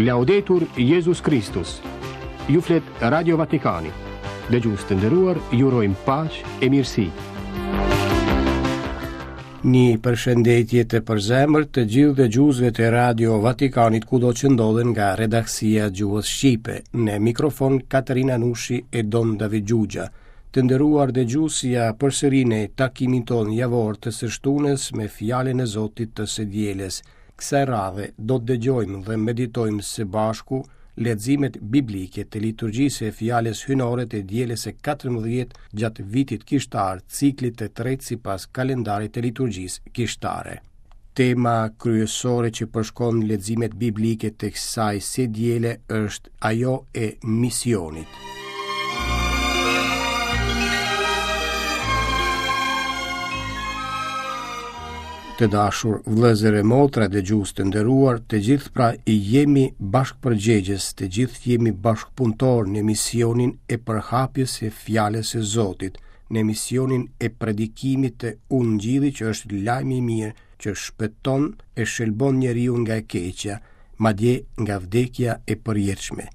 Laudetur Jezus Kristus. Ju flet Radio Vatikani. Dëgjues të nderuar, ju urojmë paqe e mirësi. Një përshëndetje të përzemërt të gjithë dëgjuesve të Radio Vatikanit kudo që ndodhen nga redaksia e gjuhës shqipe. Në mikrofon Katerina Nushi e Don David Xhuxha. Të nderuar dëgjues, ja përsëri në takimin tonë javor të së shtunës me fjalën e Zotit të së dielës. Kësaj radhe do të dëgjojmë dhe meditojmë së bashku leximet biblike të liturgjisë së fjalës hyjnore të dielës së 14 gjatë vitit kishtar, ciklit të tretë sipas kalendarit të liturgjisë kishtare. Tema kryesore që përshkon leximet biblike të kësaj së diele është ajo e misionit. Të dashur vëllezër e motra, dëgjues të nderuar, të gjithë pra jemi bashkëpërgjegjës, të gjithë jemi bashkëpunëtorë në misionin e përhapjes së fjalës së Zotit, në misionin e predikimit të Ungjillit që është lajmi i mirë që shpëton e shëlbon njeriun nga e keqja, madje nga vdekja e përjetshme.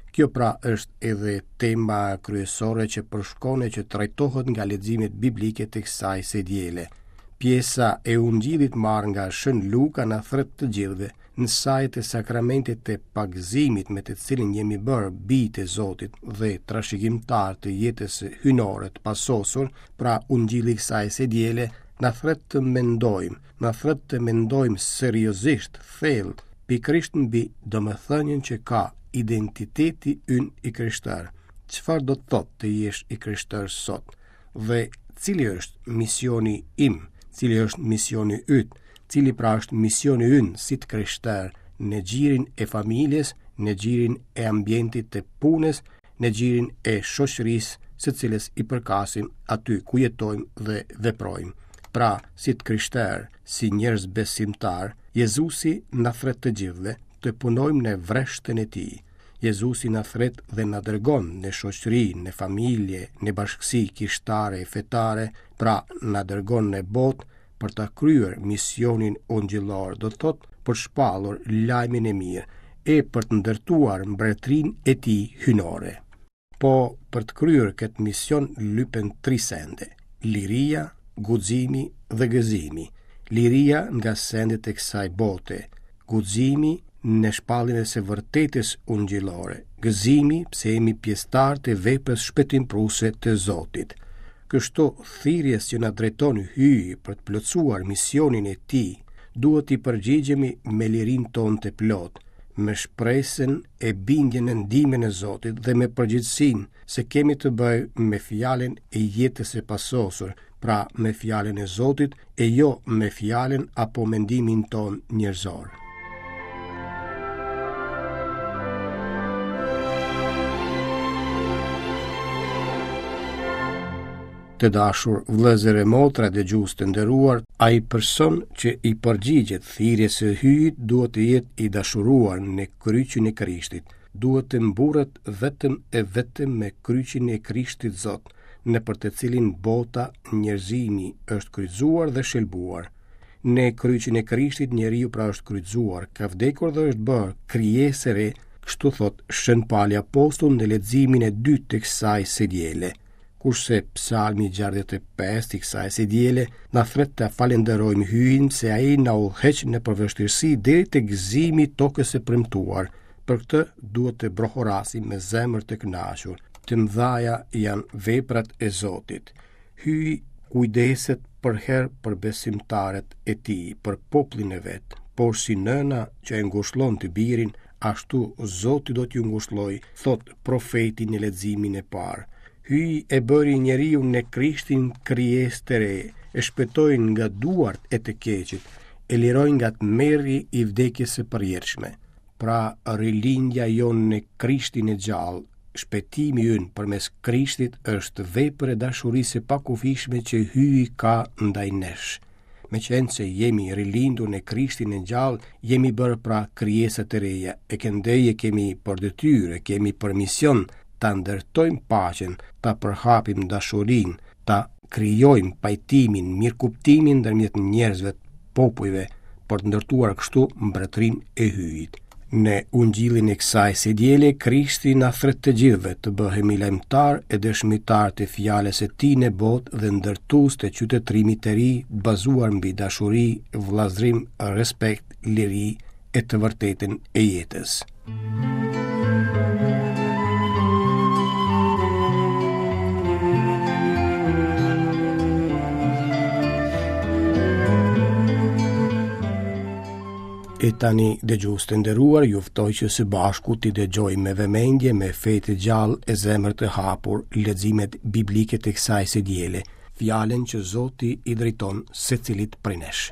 Kjo pra është edhe tema kryesore që përshkon e që trajtohet nga leximet biblike të kësaj së diele. Pjesa e Ungjillit marrë nga Shën Luka na thërret të gjithëve, në saje të sakramentit të pagëzimit me të cilin jemi bërë bij të Zotit dhe trashëgimtarë të jetës hyjnore të pasosur, pra Ungjilli i kësaj së diele na thërret të mendojmë, na thërret të mendojmë seriozisht, thellë, pikërisht mbi domethënien që ka identiteti ynë i krishterë. Çfarë do të thotë të jesh i krishterë sot? Dhe cili është misioni im? Cili është misioni yt? Cili pra është misioni ynë si të krishterë në gjirin e familjes, në gjirin e ambientit të punës, në gjirin e shoqërisë së cilës i përkasim aty ku jetojmë dhe veprojmë. Pra, si të krishterë, si njerëz besimtarë, Jezusi na thërret të gjithëve të punojmë në vreshtën e tij. Jezusi na thërret dhe na dërgon në shoqëri, në familje, në bashkësi kishtare e fetare, pra na dërgon në botë për ta kryer misionin ungjillor, do të thotë për të shpallur lajmin e mirë e për të ndërtuar mbretërinë e tij hyjnore. Po për të kryer këtë mision lypen tri sende: liria, guximi dhe gëzimi. Liria nga sendet e kësaj bote, guximi në shpalljen e së vërtetës ungjillore, gëzimi pse jemi pjesëtarë të veprës shpëtimprurëse të Zotit. Kështu, thirrjes që na drejton Hyji për të plotësuar misionin e tij, duhet t'i përgjigjemi me lirinë tonë të plotë, me shpresën e bindjen në ndihmën e Zotit dhe me përgjegjësinë se kemi të bëjmë me fjalën e jetës së pasosur, pra me fjalën e Zotit e jo me fjalën apo mendimin tonë njerëzor. Të dashur vëllezër e motra dëgjues të nderuar, ai person që i përgjigjet thirrjes së Hyjit duhet të jetë i dashuruar në kryqin e Krishtit, duhet të mburret vetëm e vetëm me kryqin e Krishtit Zot, nëpër të cilin bota, njerëzimi është kryqëzuar dhe shëlbuar. Në kryqin e Krishtit njeriu pra është kryqëzuar, ka vdekur dhe është bërë krijesë e re, kështu thotë Shën Pali Apostull në leximin e dytë të kësaj së diele. Kurse Psalmi 65 i kësaj së diele na thërret të falënderojmë Hyjin se ai na udhëheq nëpër vështirësi deri te gëzimi i tokës së premtuar. Për këtë duhet të brohorasim me zemër të kënaqur. Të mëdhaja janë veprat e Zotit. Hyji kujdeset përherë për besimtarët e tij, për popullin e vet, por si nëna që e ngushllon të birin, ashtu Zoti do t'ju ngushllojë, thotë profeti në leximin e parë. Hyji e bëri njeriun në Krishtin krijesë të re, e shpëtoi nga duart e të keqit, e liroi nga tmerri i vdekjes së përjetshme. Pra rilindja jonë në Krishtin e gjallë, shpëtimi ynë përmes Krishtit është vepër e dashurisë së pakufishme që Hyji ka ndaj nesh. Meqenëse jemi rilindur në Krishtin e gjallë, jemi bërë pra krijesa të reja, e këndej e kemi për detyrë, e kemi për mision ta ndërtojmë paqen, ta përhapim dashurinë, ta krijojmë pajtimin, mirëkuptimin ndërmjet njerëzve, popujve, për të ndërtuar kështu mbretërinë e Hyjit. Në ungjillin e kësaj së diele, Krishti na thërret të gjithëve të bëhemi lajmëtarë e dëshmitarë të fjalës së tij në botë dhe ndërtues të qytetërimit të ri, bazuar mbi dashuri, vëllazërim, respekt, liri e të vërtetën e jetës. E tani, dëgjues të nderuar, ju ftoj që së bashku t'i dëgjojmë me vëmendje, me fe të gjallë e zemër të hapur, leximet biblike të kësaj së diele, fjalën që Zoti i drejton secilit prej nesh.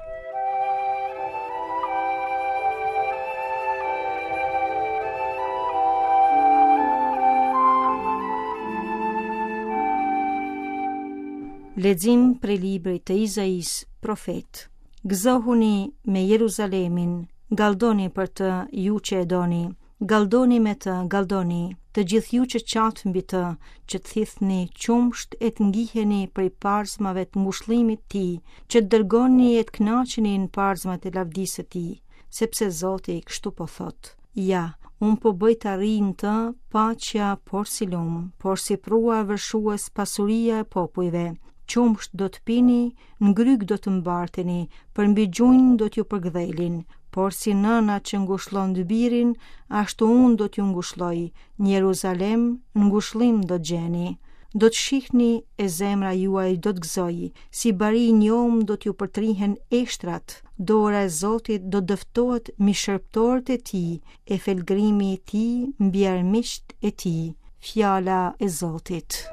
Lexim prej librit të Izaisë, profet. Gëzohuni me Jeruzalemin, galldoni për të ju që e doni, galldoni me të, galldoni, të gjithë ju që qatë mbi të, që të thithni qumësht e të ngiheni prej parzmave të ngushëllimit të tij, që të dërgoni e të kënaqeni në parzmat e lavdisë së tij, sepse Zoti kështu po thotë. Ja, unë po bëj të arrijë në të paqja porsi lumë, porsi përrua vërshues pasuria e popujve, qumësht do të pini, Në grykë do të mbarteni, përmbi gjunjë do t'ju përkëdhelin, porsi nëna që ngushllon të birin, ashtu unë do t'ju ngushlloj, në Jeruzalem ngushëllim do të gjeni. Do të shihni e zemra juaj do të gëzojë, si bari i njomë do t'ju përtrihen eshtrat, dora e Zotit do të dëftohet mbi shërbëtorët e tij, e felgrimi i tij mbi armiqtë e tij, fjala e Zotit.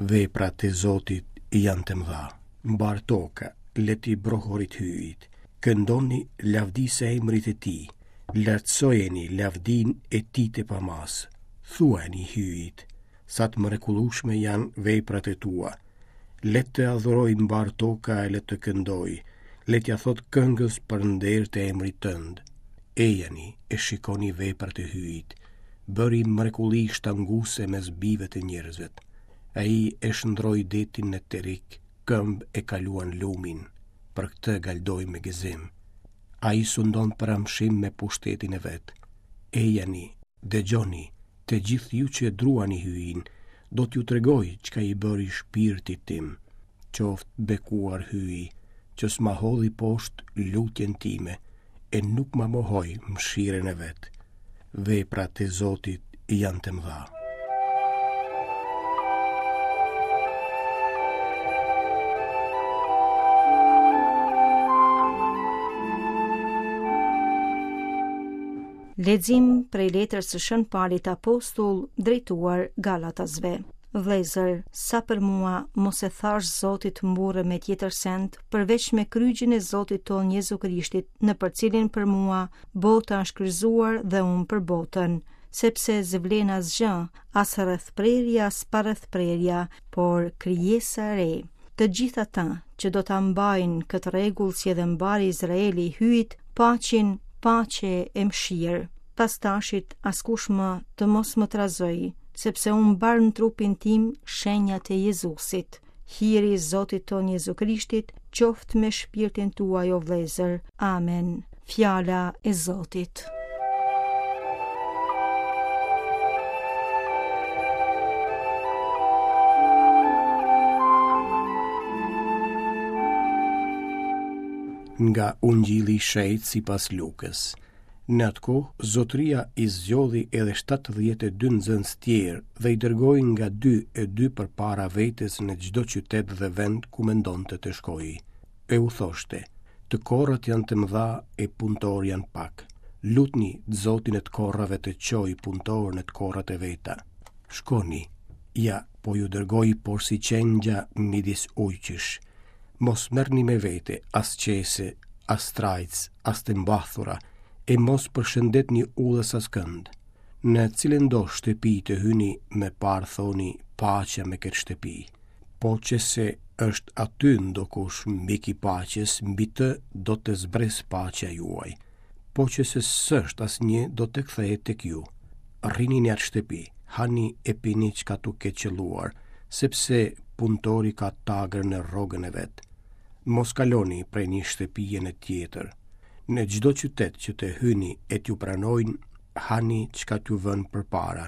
Veprat e Zotit janë të mëdha. Mbarë toka, le t'i brohoritë Hyjit. Këndoni lavdisë emrit të tij. Lartësojeni lavdinë e tij të pamasë. Thuajani Hyjit, sa të mrekullueshme janë veprat e tua. Le të adhurojë mbarë toka e le të këndojë, le t'ia thotë këngës për nder të emrit tënd. Ejani e shikoni veprat e Hyjit. Bëri mrekulli shtanguese mes bijve të njerëzve. Ai e shndërroi detin në terik, këmbë e kaluan lumin. Për këtë galdojmë me gëzim. Ai sundon për amshim me pushtetin e vet. Ejani, dëgjoni, të gjithë ju që e druani Hyjin, do t'ju tregoj çka i bëri shpirtit tim. Qoftë bekuar Hyji, që s'ma hodhi poshtë lutjen time e nuk ma mohoi mëshirën e vet. Veprat e Zotit janë të mëdha. Lexim prej letrës së Shën Palit Apostull drejtuar Galatasve. Vëllezër, sa për mua, mos e thashë Zoti të mburrem me tjetër send, përveç me kryqin e Zotit tonë Jezu Krishtit, nëpër cilin për mua bota është kryqëzuar dhe unë për botën, sepse s'vlen asgjë, as rrethprerja, as parrethprerja, por krijesa e re. Të gjithë ata që do ta mbajnë këtë rregull si edhe mbarë Izraeli i Hyjit, paçin paqe e mëshirë. Pas tashit askush më të mos më trazojë, sepse unë mbart në trupin tim shenjat e Jezusit. Hiri i Zotit tonë Jezu Krishtit qoftë me shpirtin tuaj o vëllezër. Amen. Fjala e Zotit. Nga Ungjilli i Shenjtë sipas Lukës. Në atë kohë, zotëria i zgjodhi edhe 72 nxënës tjerë dhe i dërgoi nga dy e dy përpara vetes në çdo qytet dhe vend ku mendonte të shkojë. E u thoshte, të korrat janë të mëdha e punëtorë janë pak. Lutni Zotin e të korrave të çojë punëtorë në të korrat e veta. Shkoni, ja, po ju dërgoj porsi qengja midis ujqish. Mos merrni me vete as qese, as trajcë, as të mbathura, e mos përshëndetni udhës askënd. Në cilëndo shtëpi të hyni, më parë thoni paqja me këtë shtëpi. Po qe se është aty ndokush mik i paqes, mbi të do të zbresë paqja juaj. Po qe se s'është asnjë, do të kthehet tek ju. Rrini në atë shtëpi, Hani e pini çka t'u ketë qëlluar, sepse punëtori ka tagër në rrogën e vet. Mos kaloni prej një shtëpie në tjetër. Në çdo qytet që të hyni e t'ju pranojnë, hani çka t'ju vënë përpara.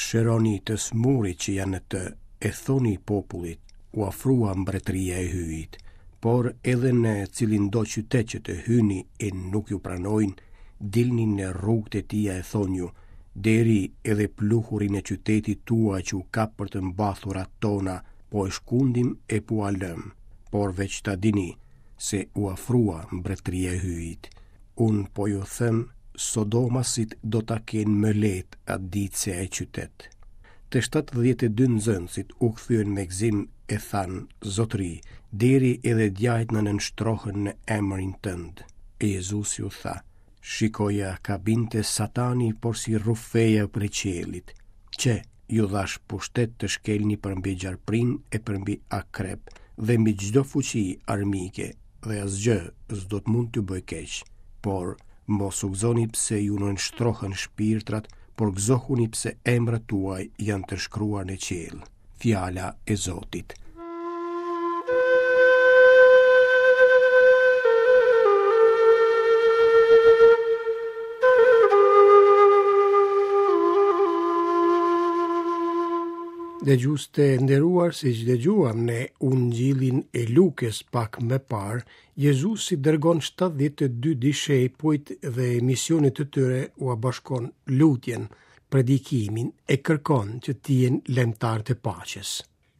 Shëroni të sëmurit që janë në të, e thoni popullit, u afrua mbretëria e Hyjit. Por edhe në cilindo qytet që të hyni e nuk ju pranojnë, dilni në rrugët e tij e thonju, deri edhe pluhurin e qytetit tuaj që u kap për të mbathurat tona, po e shkundim e po ua lëmë, por veç ta dini se u afrua mbretëria e Hyjit. Unë po ju them, Sodomasit do ta kenë më lehtë atë ditë se ai qytet. Të 72 nxënësit u kthyen me gëzim e thanë, Zotëri, deri edhe djajtë na nënshtrohen në emrin tënd. E Jezusi u tha, Shikoja ka binte Satani porsi rrufeja prej qiellit. Qe, ju dhashë pushtet të shkelni përmbi gjarprinj e përmbi akrep dhe mbi çdo fuqi armike dhe asgjë s'do të mund t'ju bëjë keq. Por, mos u gëzoni pse ju nënshtrohen shpirtrat, por gëzohuni pse emrat tuaj janë të shkruar në qiell. Fjala e Zotit. Dëgjues të nderuar, siç dëgjuam në Ungjillin e Lukës pak më parë, Jezusi dërgon 72 dishepujt dhe misionit të tyre ua bashkon lutjen, predikimin e kërkon që të jenë lajmëtarë të paqes.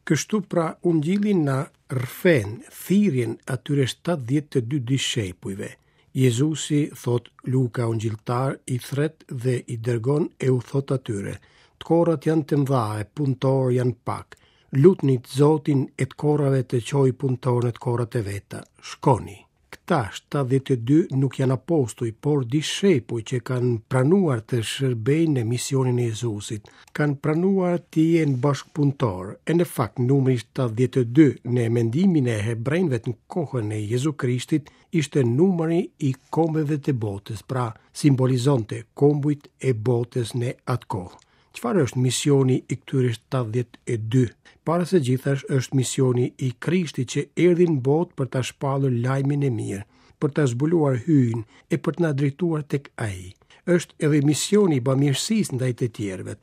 Kështu pra Ungjilli na rrëfen thirrjen atyre 72 dishepujve. Jezusi, thotë Luka Ungjilltar, i thërret dhe i dërgon e u thotë atyre, të korrat janë të mëdha e punëtorë janë pak. Lutni të Zotin e të korrave të çojë punëtorë në të korrat e veta. Shkoni. Këta 72 nuk janë apostuj, por dishepuj që kanë pranuar të shërbejnë në misionin e Jezusit, kanë pranuar të jenë bashkëpunëtorë. E në fakt numri 72 në mendimin e hebrenjve në kohën e Jezu Krishtit ishte numri i kombeve të botës, pra simbolizonte kombujt e botës në atë kohë. Çfarë është misioni i këtyre 72? Para së gjithash është misioni i Krishtit që erdhi në botë për ta shpallur lajmin e mirë, për ta zbuluar Hyjin e për të na drejtuar tek Ai. Është edhe misioni i bamirësisë ndaj të tjerëve.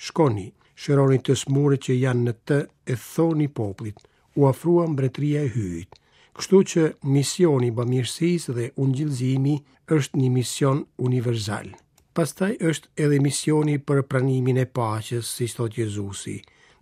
Shkoni, shëroni të sëmurët që janë në të e thoni popullit, u afrua mbretëria e Hyjit. Kështu që misioni i bamirësisë dhe ungjillëzimi është një mision universal. Pastaj është edhe misioni për pranimin e paqes, siç thotë Jezusi.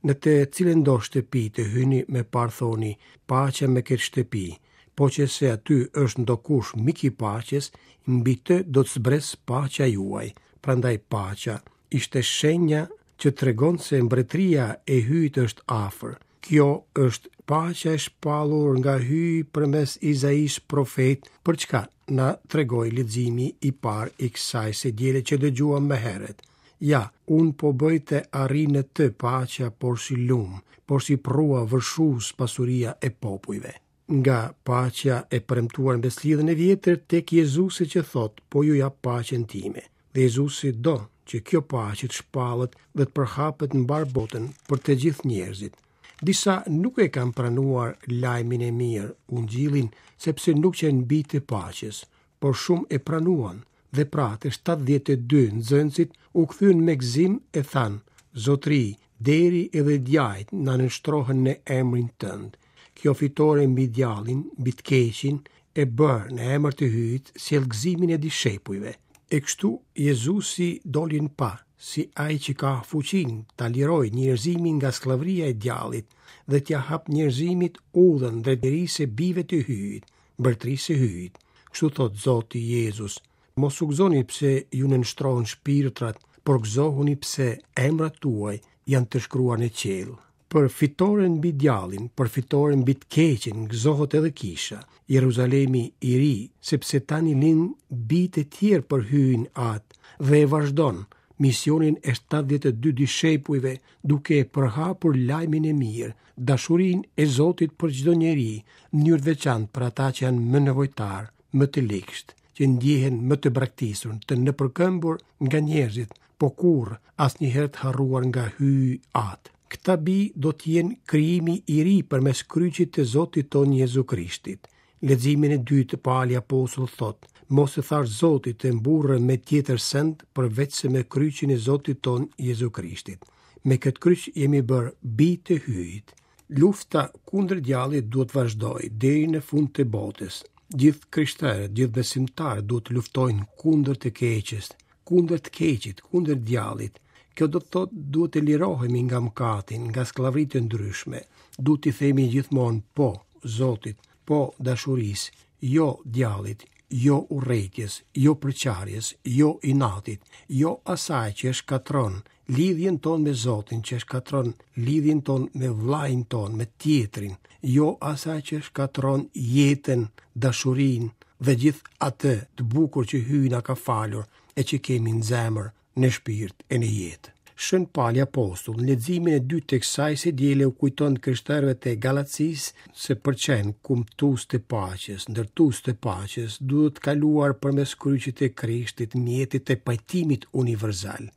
Në të cilëndo shtëpi të hyni më parë thoni, paqja me këtë shtëpi. Po qe se aty është ndokush mik i paqes, mbi të do të zbresë paqja juaj. Prandaj paqja ishte shenja që tregon se mbretëria e Hyjit është afër. Kjo është paqja e shpallur nga Hyji përmes Izaisë profet, për çka na tregoi leximi i parë i kësaj së diele që dëgjuam më herët. Ja, unë po bëj të arrijë në të paqja porsi lumë, porsi përrua vërshues pasuria e popujve. Nga paqja e premtuar në Besëlidhjen e Vjetër tek Jezusi që thotë, po ju jap paqen time. Dhe Jezusi do që kjo paqe të shpallet dhe të përhapet në mbarë botën për të gjithë njerëzit. Disa nuk e kanë pranuar lajmin e mirë, ungjillin, sepse nuk qenë bij të paqes, por shumë e pranuan dhe pra të 72 nxënësit u kthyen me gëzim e thanë, Zotëri, deri edhe djajtë na nënshtrohen në emrin tënd. Kjo fitore mbi djallin, mbi të keqin, e bërë në emër të Hyjit, sjell gëzimin e dishepujve. E kështu Jezusi doli në pah, si ai që ka fuqinë ta lirojë njerëzimin nga skllavëria e djallit dhe t'ia hapë njerëzimit udhën drejt lirisë së bijve të Hyjit, mbretërisë së Hyjit. Kështu thotë Zoti Jezus, mos u gëzoni pse ju nënshtrohen shpirtrat, por gëzohuni pse emrat tuaj janë të shkruar në qiell. Për fitoren mbi djallin, për fitoren mbi të keqen, gëzohet edhe kisha, Jeruzalemi i ri, sepse tani lind bij të tjerë për Hyjin Atë dhe e vazhdon misionin e 72 dishepujve duke e përhapur lajmin e mirë, dashurinë e Zotit për çdo njeri, në mënyrë të veçantë për ata që janë më nevojtarë, më të ligshtë, që ndjehen më të braktisur, të nëpërkëmbur nga njerëzit, po kurrë, asnjëherë të harruar nga Hyji Atë. Këta bij do të jenë krijimi i ri përmes kryqit të Zotit tonë Jezu Krishtit. Leximin e dytë Pali Apostull thotë, mos i thashtë Zotit të mburrem me tjetër send përveçse me kryqin e Zotit tonë Jezu Krishtit. Me këtë kryq jemi bërë bij të Hyjit. Lufta kundër djallit duhet të vazhdojë deri në fund të botës. Gjithë krishterët, gjithë besimtarët duhet të luftojnë kundër të keqes, kundër të keqit, kundër djallit. Kjo do të thotë duhet të lirohemi nga mëkati, nga skllavëritë e ndryshme. Duhet t'i themi gjithmonë po Zotit, po dashurisë, jo djallit, jo urrejtjes, jo përçarjes, jo inatit, jo asaj që e shkatërron lidhjen tonë me Zotin, që e shkatërron lidhjen tonë me vëllain tonë, me tjetrin, jo asaj që e shkatërron jetën, dashurinë dhe gjithë atë të bukur që Hyji na ka falur e që kemi në zemër, në shpirt e në jetë. Shën Pali Apostull, në leximin e dytë të kësaj së diele u kujton të krishterëve të Galacisë se për të qenë kumtues të paqes, ndërtues të paqes, duhet kaluar përmes kryqit të Krishtit, mjetit të pajtimit universal.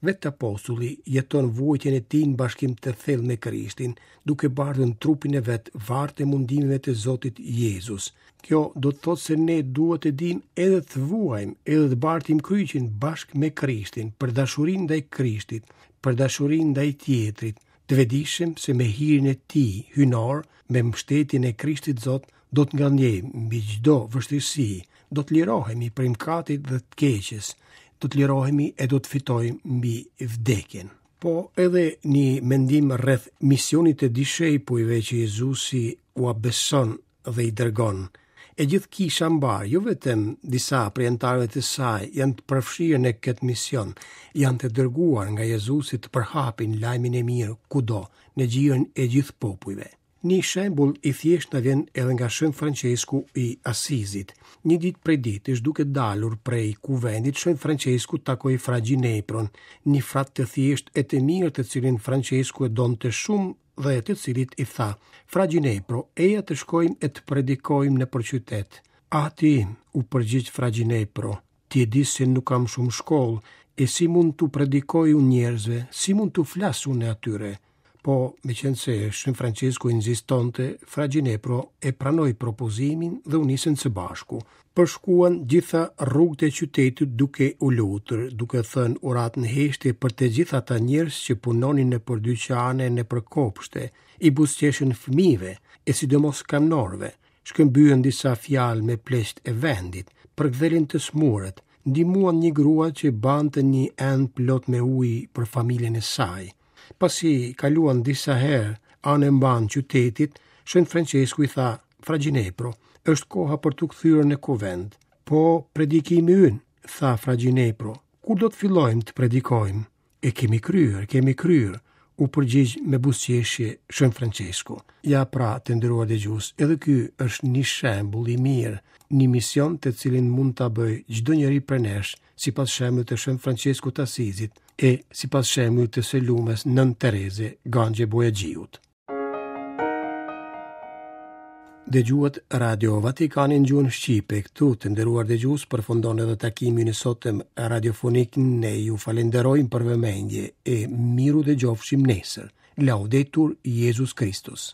Vetë apostulli jeton vuajtjen e tij në bashkim të thellë me Krishtin, duke bartur në trupin e vet varrët e mundimeve të Zotit Jezus. Kjo do të thotë se ne duhet të dimë edhe të vuajmë, edhe të bartim kryqin bashkë me Krishtin, për dashurinë ndaj Krishtit, për dashurinë ndaj tjetrit, të vetëdijshëm se me hirin e tij hyjnor, me mbështetjen e Krishtit Zot, do të ngadhënjejmë mbi çdo vështirësi, do të lirohemi prej mëkatit dhe të keqes, do të lirohemi e do të fitojmë mbi vdekjen. Po edhe një mendim rreth misionit të dishepujve që Jezusi ua beson dhe i dërgon. E gjithë kisha mbarë, jo vetëm disa prej anëtarëve të saj, janë të përfshirë në këtë mision, janë të dërguar nga Jezusi të përhapin lajmin e mirë kudo, në gjirin e gjithë popujve. Një shembull i thjeshtë na vjen edhe nga Shën Françesku i Asizit. Një ditë prej ditësh duke dalur prej kuvendit, Shën Françesku takoi Fra Gjinepron, një frat të thjeshtë e të mirë të cilin Françesku e donte shumë dhe të cilit i tha: Fra Gjinepro, eja të shkojmë e të predikojmë nëpër qytet. Ati im, u përgjigj Fra Gjinepro, ti e di se nuk kam shumë shkollë, e si mund t'u predikoj unë njerëzve, si mund t'u flas unë atyre? Po, meqenëse Shën Françesku insistonte, Fra Gjinepro e pranoi propozimin dhe u nisën së bashku. Përshkuan gjitha rrugët e qytetit duke u lutur, duke thënë uratë në heshtje për të gjithë ata njerëz që punonin nëpër dyqane, nëpër kopshte, i buzëqeshën fëmijëve, e sidomos kamnorëve, shkëmbyen disa fjalë me pleqtë e vendit, përkëdhelën të sëmurët, ndihmuan një grua që mbante një enë plot me ujë për familjen e saj. Pasi kaluan disa herë anë e mbanë qytetit, Shën Françesku i tha, Fra Gjinepro, është koha për t'u kthyer në kuvend. Po predikimi ynë, tha Fra Gjinepro, kur do të fillojmë të predikojmë? E kemi kryer, kemi kryer, u përgjigj me buzëqeshje Shën Françesku. Ja pra, të nderuar dëgjues, edhe ky është një shembull i mirë, një mision të cilin mund ta bëjë çdo njeri prej nesh, sipas shembullit të Shën Françeskut të Asizit e sipas shembullit të së lumes Nënë Tereze Ganxhe Bojaxhiut. Dëgjuat Radio Vatikanin në gjuhën shqipe. Këtu të nderuar dëgjues përfundon edhe takimi i sotëm radiofonik. Ne ju falenderojmë për vëmendje e mirudëgjofshim nesër. Laudetur Jezus Kristus.